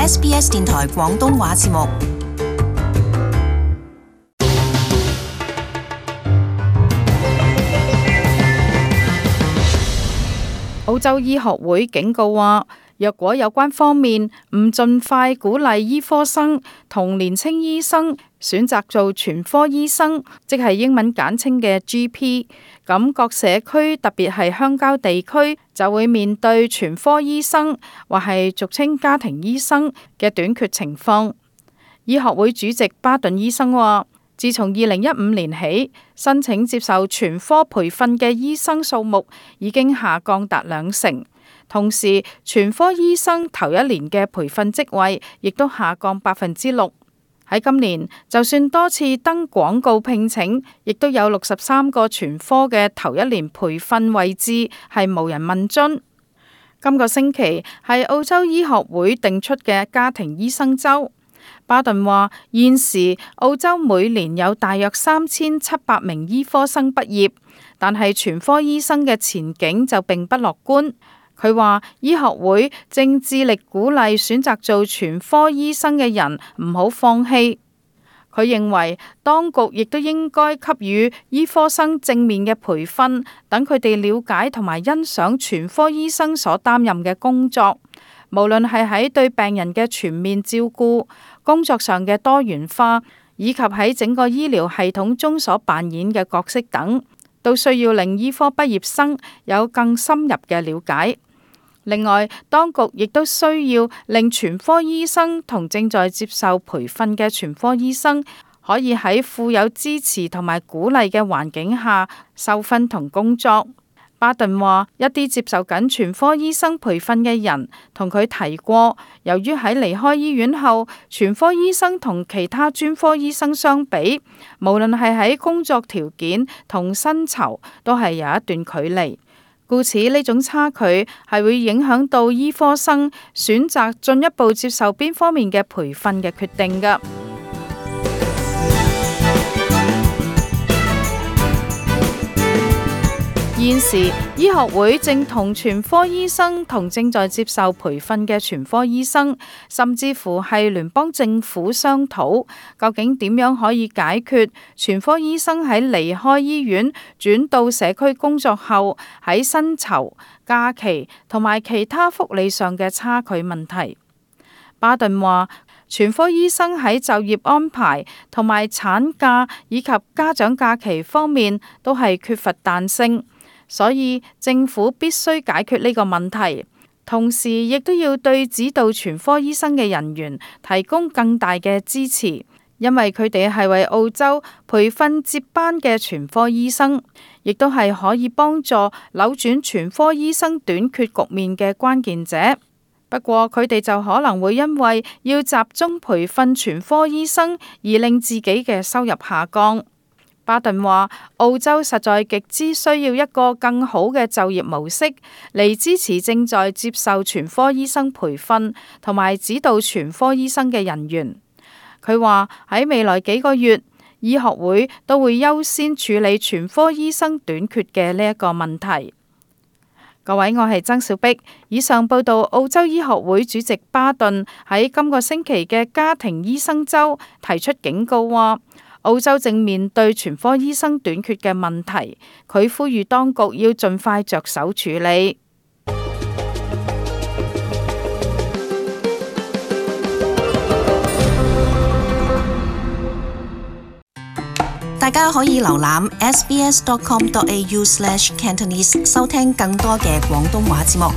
SBS 電台廣東話節目。澳洲醫學會警告話，若果有關方面唔盡快鼓勵醫科生同年輕醫生選擇做全科醫生，即係英文簡稱嘅 GP， 咁各社區特別係鄉郊地區就會面對全科醫生或係俗稱家庭醫生嘅短缺情況。醫學會主席巴頓醫生話，自從2015年起，申請接受全科培訓嘅醫生數目已經下降達20%，同時全科醫生頭一年嘅培訓職位亦都下降6%。喺今年，就算多次登廣告聘請，亦都有63個全科嘅頭一年培訓位置係無人問津。今個星期係澳洲醫學會定出嘅家庭醫生週。巴頓話，現時澳洲每年有大約3700名醫科生畢業，但係全科醫生嘅前景就並不樂觀。佢話醫學會正致力鼓勵選擇做全科醫生嘅人唔好放棄。佢認為當局亦都應該給予醫科生正面嘅培訓，等佢哋了解同埋欣賞全科醫生所擔任嘅工作，無論係喺對病人嘅全面照顧、工作上嘅多元化，以及喺整個醫療系統中所扮演嘅角色等，都需要令醫科畢業生有更深入嘅了解。另外，當局亦都需要令全科醫生同正在接受培訓嘅全科醫生可以喺富有支持同埋鼓勵嘅環境下受訓同工作。巴頓話，一啲接受緊全科醫生培訓嘅人同佢提過，由於喺離開醫院後，全科醫生同其他專科醫生相比，無論係喺工作條件同薪酬，都係有一段距離。故此呢種差距係會影響到醫科生選擇進一步接受邊方面嘅培訓嘅決定㗎。現時醫學會正同全科醫生同正在接受培訓嘅全科醫生，甚至乎係聯邦政府商討，究竟點樣可以解決全科醫生喺離開醫院轉到社區工作後喺薪酬、假期同埋其他福利上嘅差距問題。巴頓話，全科醫生喺就業安排同埋產假以及家長假期方面都係缺乏彈性。所以政府必須解決呢個問題，同時亦都要對指導全科醫生嘅人員提供更大嘅支持，因為佢哋係為澳洲培訓接班嘅全科醫生，亦都係可以幫助扭轉全科醫生短缺局面嘅關鍵者。不過佢哋就可能會因為要集中培訓全科醫生而令自己嘅收入下降。巴頓話，澳洲實在極之需要一個更好嘅就業模式嚟支持正在接受全科醫生培訓同埋指導全科醫生嘅人員。佢話喺未來幾個月，醫學會都會優先處理全科醫生短缺嘅呢一個問題。各位，我係曾小碧，以上報道澳洲醫學會主席巴頓喺今個星期嘅家庭醫生週提出警告話，澳洲正面對全科醫生短缺嘅問題，佢呼籲當局要盡快着手處理。大家可以瀏覽 sbs.com.au/Cantonese 收聽更多嘅廣東話節目。